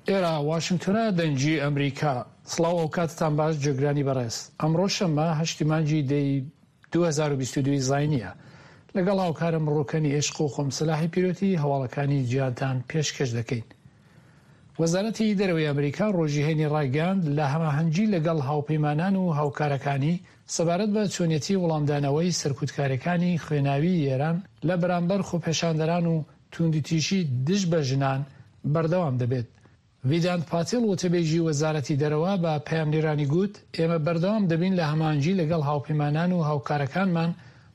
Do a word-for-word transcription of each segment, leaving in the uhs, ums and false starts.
ئێرە واشنگتۆنە، دەنگی ئەمریکا. سڵاو، ئەوکاتتان باش جێگرانی بەڕێز. ئەمڕۆ شەممە هەشتی مانگی دەی دوو هەزار و بیست و دوو زاینیە. لەگەڵ هاوکارم ڕوکەنی عشق و خۆم سەلاحی پیرۆتی هەواڵەکانی جیهانتان پێشکەش دەکەین. وەزارەتی دەرەوەی ئەمریکا ڕۆژی هەینی ڕایگەیاند لە هەماهەنگی لەگەڵ هاوپەیمانان و هاوکارەکانی سەبارەت بە چۆنیەتی وەڵامدانەوەی سەرکوتکاریەکانی خوێناوی ئێران لە بەرامبەر خۆپێشاندەران و توندوتیژی دژ بە ژنان بەردەوام دەبێت. ڤیدانت پاتیل وتەبێژی وەزارەتی دەرەوە بە پەیامنێرانی گوت ئێمە بەردەوام دەبین لە هەماهەنگی لەگەڵ هاوپەیمانان و هاوکارەکانمان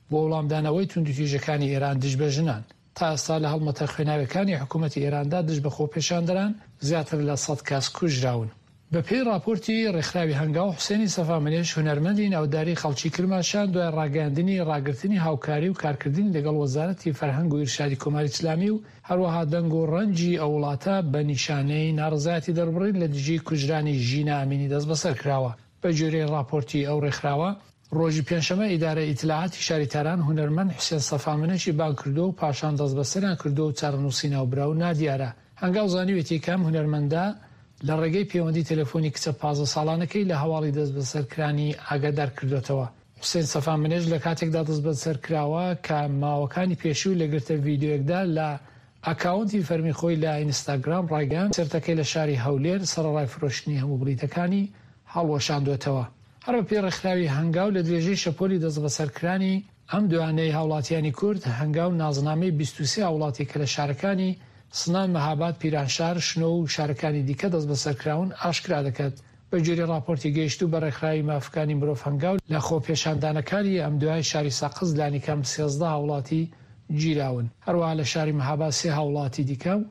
بۆ وەڵامدانەوەی توندوتیژەکانی ئێران دژ بە ژنان. تا ئێستا لە هەڵمەتە خوێناویەکانی حکوومەتی ئێراندا دژ بە خۆپێشاندەران زیاتر لە سەد کەس کوژراون. بە پێی ڕاپۆرتی ڕێکخراوی هەنگاو، حوسێنی سەفامنێش هونەرمەندی ناوداری خەڵکی کرماشان دوای ڕاگەیاندنی ڕاگرتنی هاوکاری و کارکردنی لەگەڵ وەزارەتی فەرهەنگ و ئیرشادی کۆماری ئیسلامی و هەروەها دەنگ و ڕەنگی ئەو وڵاتە بە نیشانەی ناڕەزایەتی دەربڕین لە دژی کوژرانی ژینا ئەمینی دەستبەسەر کراوە. بە گوێرەی ڕاپۆرتی ئەو ڕێکخراوە، ڕۆژی پێنجشەممە ئیدارە ئیتلاعاتی شاری تاران هونەرمەند حوسێن سەفامنێشی بانگ کردووە و پاشان دەستبەسەریان کردووە و چارەنووسی ناوبراو نادیارە. هەنگاو زانیوێتی کە ئەم هونەرمەندە لە ڕێگەی پەیوەندی تەلەفۆنی کچە پازدە ساڵانەکەی لە هەواڵی دەستبەسەرکرانی ئاگادار کردوێتەوە. حوسێن سەفامنێش لە کاتێکدا دەستبەسەر کراوە کە ماوەکانی پێشوو لە گرتە ڤیدیۆیەکدا لە ئەکاونتی فەرمی خۆی لە ئینستاگرام ڕایگەیاند کۆنسێرتەکەی لە شاری هەولێر سەرەڕای فرۆشتنی هەموو بلیتەکانی هەڵوەشاندوێتەوە. هەر بە پێی ڕێکخراوی هەنگاو لە درێژەی شەپۆلی دەستبەسەرکرانی ئەم دوانەی هاوڵاتیانی کورد، هەنگاو نازنامەی بیست و سێ هاوڵاتی کە لە شارەکانی سنە، مەهاباد، پیرانشار، شنۆ و شارەکانی دیکە دەستبەسەرکراون ئاشکرا دەکات. بە گوێرەی ڕاپۆرتی گەیشتوو بە ڕێکخراوی مافەکانی مرۆڤ هەنگاو لە خۆپێشاندانەکانی ئەم دوای شاری سەقز لانیکەم سێزدە هاوڵاتی گیراون. هەروەها لە شاری مەهاباد سێ هاوڵاتی دیکە و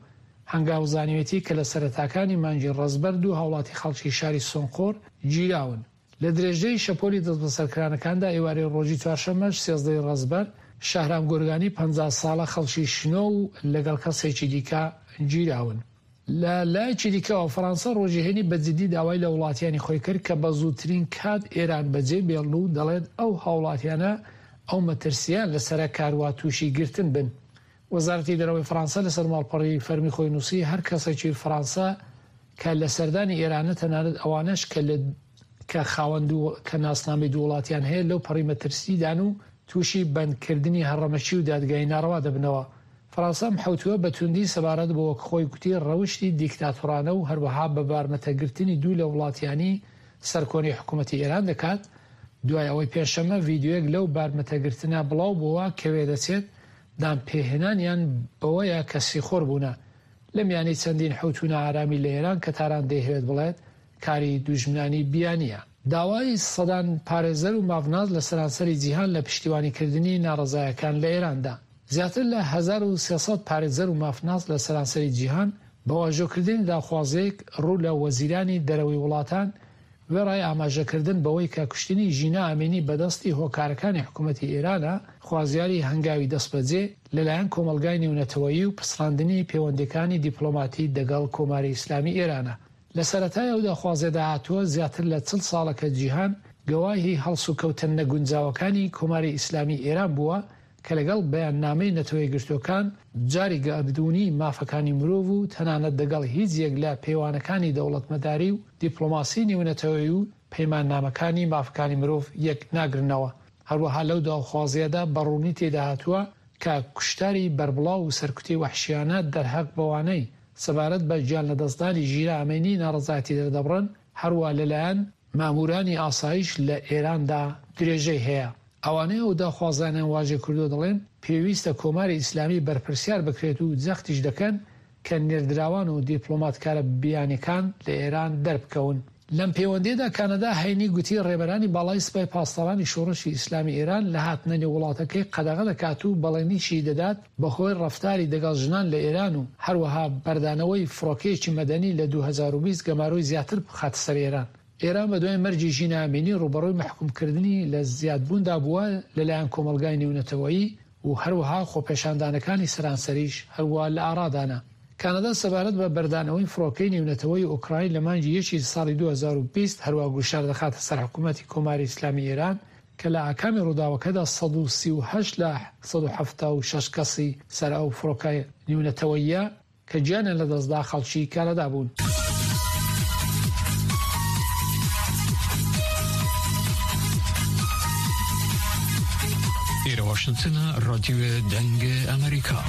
هەنگاو زانیوێتی کە لە سەرەتاکانی مانگی ڕەزبەر دوو هاوڵاتی خەڵکی شاری سۆنقۆر گیراون. لە درێژەی شەپۆلی دەستبەسەرکرانەکاندا ئێوارەی ڕۆژی چوارشەممەش سێزدەی ڕەزبەر شەهرام گۆرگانی پەنجا ساڵە خەڵکی شنۆ و لەگەڵ کەسێکی دیکە گیراون. لە لایەکی دیکەوە فەرەنسا ڕۆژی هەینی بە جدی داوای لە وڵاتیانی خۆی کرد کە بە زووترین کات ئێران بەجێ بێڵن و دەڵێت ئەو هاوڵاتیانە ئەو مەترسیان لەسەرە کاروا تووشی گرتن بن. وەزارەتی دەرەوەی فەرەنسا لەسەر ماڵپەڕی فەرمی خۆی نووسی هەر کەسێکی فەرەنسا کە لە سەردانی ئێرانە تەنانەت ئەوانەش کە لە کە خاوەن کە ناسنامەی دوو وڵاتیان هەیە لەو پەڕی مەترسیدان و تووشی بەندکردنی هەڕەمەکی و دادگای ناڕەوا دەبنەوە. فەرەنسا ئەم حەوتووە بە توندی سەبارەت بۆ وەک خۆی گوتی ڕەوشتی دیکتاتۆرانە و هەروەها بە بارمەتەگرتنی دوو لە وڵاتیانی سەرکۆنەی حکوومەتی ئێران دەکات. دوای ئەوەی پێنجشەممە ڤیدیۆیەک لەو بارمەتەگرتنە بڵاو بووە کە وێدەچێت دانپێهێنانیان بەوەیە کە سیخۆر بوونە لە میانەی چەندین حەوتوو نائارامی لە ئێران کە تاران دەیهەوێت بڵێت کاری دوژمنانی بیانیە. داوای سەدان پارێزەر و مافناس لە سەرانسەری جیهان لە پشتیوانیکردنی ناڕەزایەکان لە ئێراندا. زیاتر لە هەزار و سێ سەد پارێزەر و مافناس لە سەرانسەری جیهان بە واژۆکردنی داخوازییەک ڕوو لە وەزیرانی دەرەوەی وڵاتان وێڕای ئاماژەکردن بەوەی کە کوشتنی ژینا ئەمینی بەدەستی هۆکارەکانی حکوومەتی ئێرانە، خوازیاری هەنگاوی دەستبەجێ لەلایەن کۆمەڵگای نێونەتەوەیی و پچڕاندنی پەیوەندیەکانی دیپلۆماتی دەگەڵ کۆماری ئیسلامی ئێرانە. لە سەرەتای ئەو داخوازیەدا هاتووە زیاتر لە چل ساڵە کە جیهان گەواهی هەڵسوکەوتە نەگونجاوەکانی کۆماری ئیسلامی ئێران بووە کە لەگەڵ بەیاننامەی نەتەوەیەکگرتووەکان، جاری گەردوونی مافەکانی مرۆڤ و تەنانەت دەگەڵ هیچ یەک لە پێوانەکانی دەوڵەتمەداری و دیپلۆماسی نێونەتەوەیی و پەیماننامەکانی مافەکانی مرۆڤ یەک ناگرنەوە. هەروەها لەو داخوازیەدا بە ڕوونی تێدا هاتووە کە کوشتاری بەربڵاو و سەرکوتی وەحشیانە دەرهەق بەوانەی سەبارەت بە گیان لەدەستدانی ژینا ئەمینی ناڕەزایەتی دەردەبڕن، هەروە لەلایەن مامورانی ئاسایش لە ئێراندا درێژەی هەیە. ئەوانەی ئەو داخوازانیان واژێ کردووە دەڵێن پێویستە کۆماری ئیسلامی بەرپرسیار بکرێت و جەختیش دەکەن کە نێردراوان و دیپلۆماتکارە بیانیەکان لە ئێران دەربکەون. لەم پەیوەندیدا کانەدا هەینی گوتی ڕێبەرانی باڵای سپای پاسدارانی شۆڕشی ئیسلامی ئێران لە هاتنە نێو وڵاتەکەی قەدەغە دەکات و بەڵێنیشی دەدات بەهۆی ڕەفتاری دەگەڵ ژنان لە ئێران و هەروەها بەردانەوەی فڕۆکەیەکی مەدەنی لە دوو هەزار و بیست گەمارۆی زیاتر بخاتە سەر ئێران. ئێران بە دوای مەرگی ژینا ئەمینی ڕووبەڕووی مەحکومکردنی لە زیادبووندا بووە لەلایەن کۆمەڵگای نێونەتەوەیی و هەروەها خۆپێشاندانەکانی سەرانسەریش هەروە لە ئارادانە. کانەدا سەبارەت بە بەردانەوەی فڕۆکەی نێونەتەوەی ئۆکراین لە مانگی یەکی ساڵی دوو هەزار و بیست هەروە گوشار دەخاتە سەر حکوومەتی کۆماری ئیسلامی ئێران کە لە ئاکامی ڕووداوەکەدا سەد و سی و هەشت لە سەد و حەفتا و شەش کەسی سەر ئەو فڕۆکە نێونەتەوەیە کە گیانیان لەدەستدا خەڵکی کانەدا بوون. واشنگتن، رادیو دەنگ ئەمریکا.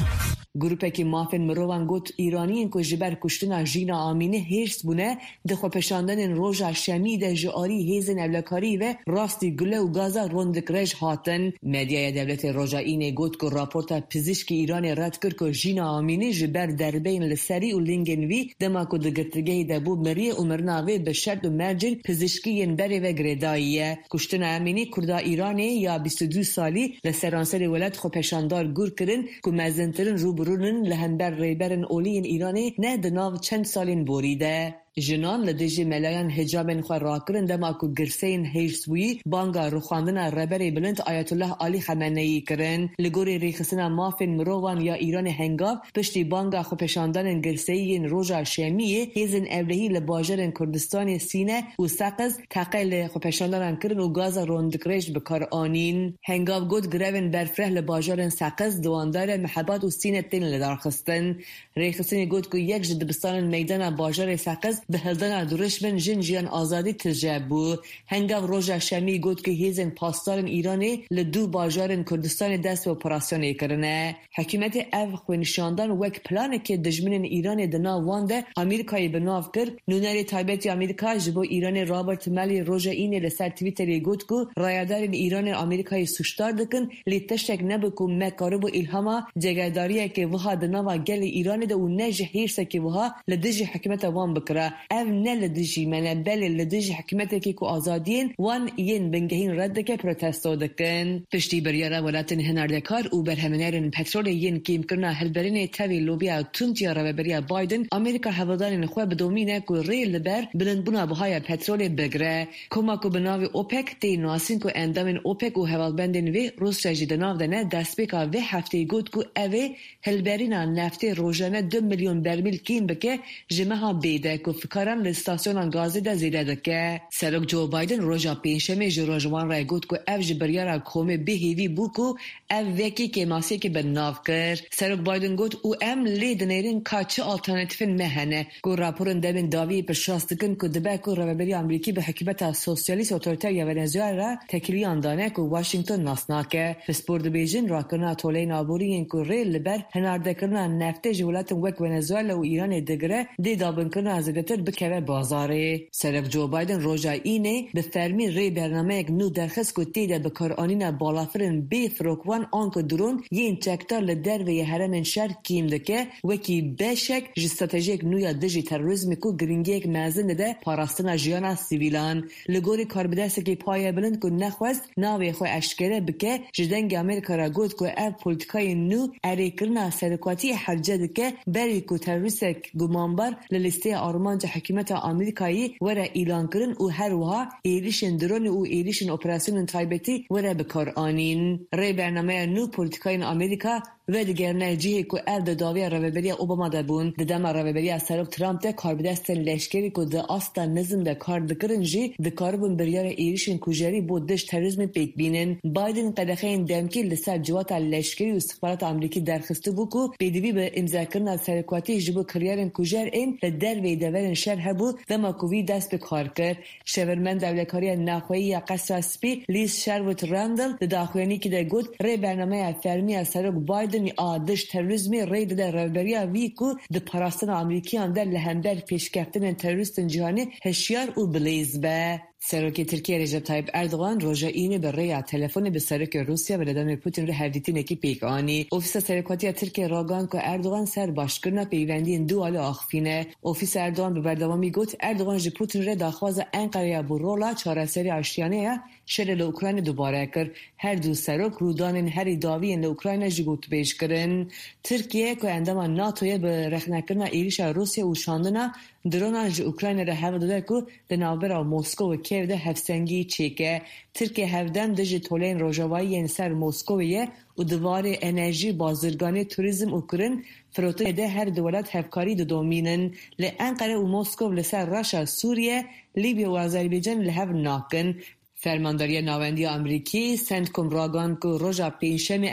Grûpekê mafên mirovan got Îraniyên ku ji ber kuştina Jîna Amînî hêrs bûne di xwepêşandanên roja şemî de ji alî hêzên ewlekarî ve rastî gule û gaza rondikrej hatin. Medyaya dewletê roja Înê got ku raporta pizîşkê Îranê red kir ku Jîna Amînî ji ber derbeyên li serî û lingên wî dema ku di girtîgehê de bû miriye û mirina wê bi şert û mercên pizîşkî yên berê ve girêdayî ye. Kuştina Emînî Kurda Îranê ya bîst û du salî li seranserê welat xwepêşandar gur kirin ku mezintirin rûbirûnin li hember rêberên olî yên Îranê ne di nav çend salên borî de. Jinan li dijî melayan hicabên xwe rakirin dema ku girseyên hêrsbûyî banga rûxandina rêberê bilind Ayetullah Alî Xameneyî kirin. Li gorî rêxistina mafên mirovan ya Îranê Hengaw piştî banga xwepêşandanên girseyî yên roja şemiyê hêzên ewlehî li bajarên Kurdistanê Sîne û Seqiz teqe li xwepêşandanan kirin û gaza rondikrej bi kar anîn. Hengaw got grevên berfireh li bajarên Seqiz, Diwandare, Mihebat û Sîne tên lidarxistin. Rêxistinê got ku yek ji dibistanên meydana bajarê Seqiz bi hildana dirûşmên jin jiyan azadî tije bû. Hengaw roja şemî got ku hêzên pasdarên Îranê li du bajarên Kurdistanê dest bi operasyonê kirine. Hikûmetê ev xwenîşandan wek planekê dijminên Îranê di nav wan de Amerîkayê bi nav kir. Nûnerê taybet ya Amerîka ji bo Îranê Robert Malley roja Înê li ser Twitterê got ku rayedarên Îranê Amerîkayê sûcdar dikin lê tiştek nebû ku me karibû îlhama cegerdariyekê wiha di nava gelê Îranê de û ne ji hêrsekê wiha li dijî hikûmeta wan bikira. Ev ne li dijî me ne belê li dijî hikûmetekê ku azadiyên wan yên bingehîn red dike protesto dikin. Piştî biryara welatên hinardekar û berhemînerên petrolê yên kêmkirina hilberînê tevî lobiya tund ya rêveberiya Biden, Amerîka hewldanên xwe bidomîne ku rê li ber bilindbûna bihaya petrolê bigire. Koma ku bi navê OPEC tê nasîn ku endamên OPEC û hevalbendên wê Rûsya jî di nav de ne destpêka vê hefteyê got ku ew ê hilberîna neftê rojane du milyon bermîl kêm bike ji meha bê de ku fikaran li stasyonan gazê de zêde dike. Serok Joe Biden roja pêncşemê ji rojwan re got ku ev ji biryara komê bêhêvî bû ku ev wekî kêmasiyekê bi nav kir. Serok Biden got û em lê dinêrin ka çi alternatîfên me hene ku raporên demên dawiyê piştrast dikin ku dibe ku rêveberiya Amerîkî bi hikûmeta sosyalîst otoriter ya Venezuela re têkiliyan dane ku Washington nas nake. Pispor dibêjin rakirina toleyên aborî yên ku rê li ber hinardekirina neftê ji welatên wek Venezuela û Îranê digire dê dabinkirina zêdetir bikeve bazarê. Serok Joe Biden roja Înê bi fermî rê bernameyek nû derxist ku tê de bikaranîna balafirên bê firokvan an ku drone yên çekdar li derveyê herêmên şer kêm dike wekî beşek ji stratejiyek nû ya dijî terorîzmê ku girîngiyek mezin dide parastina jiyana sivîlan. Li gorî karbidestekî paye bilind ku nexwest navê xwe eşkere bike ji dengê Amerîka re got ku ev polîtikayên nû erêkirina serokatiyê hewce dike berî ku terorîstek gumanbar li lîsteya armanca hikûmeta Amerîkayê were îlankirin û her wiha êrişên dronê û êrişên operasyonên taybetî were bikaranîn. Rê bernameya nû polîtikayên Amerîka vedigerine cihê ku ev di dawiya rêveberiya Obama de bûn. Di dema rêveberiya Serok Trump de karbidestên leşkerî ku di asta nizm de kar dikirin jî dikaribûn biryara êrişên kujerî bo dij terorîzmê pêk bînin. Biden qedexeyên demkî li ser civata leşkerî û îstixbarata Amerîkî derxistibû ku pêdivî bi îmzekirina serokatî ji bo kiryarên kujer ên li derveyê deverên şer hebû dema ku wî dest bi kar kir. Şêwirmenda Ewlekariya Navxweyî ya Qesra Spî Liz Sherwood Randall di daxuyaniyekê de got rê bernameya fermî ya Serok Biden a dij terorîzmê rê dide rêveberiya wî ku di parastina Amerîkiyan de li hember pêşkeftinên terorîstên cîhanê hişyar û bilêz be. Serokê Tirkiye Recep Tayyip Erdogan roja Înê bi rêya telefonê bi Serokê Rûsya Vladimir Putin re hevdîtinekî pêk anî. Ofîsa Serokatiya Tirkiye ragihand ku Erdogan ser başkirina peywendiyên du alî axivîne. Ofîsa Erdogan bi berdewamî got Erdogan ji Putin re daxwaza Enqereya bû rola çareseriya aştiyane ya şerê li Ukrayna dubare kir. Her du serok rûdanên herî dawiyên li Ukrayna jî gotûbêj kirin. Tirkiye ku endama NATO'yê bi rexnekirina êrişa Rûsya û şandina dronan ji Ukrayna re hewl dide ku di navbera Moskow û Kiev de hevsengî çêke. Tirkiye hevdem dijî toleyên rojavayî yên ser Moskowê ye û di warê enerjî, bazirganî, turîzm û kirin firotinê de her du welat hevkarî didomînin. Li Enqere û Moskow li ser rewşa Sûriye, Lîbya û Azerbaycanê li hev nakin. Fermandariya Navendiya Amerîkî CENTCOM ragihand ku roja pêncşemê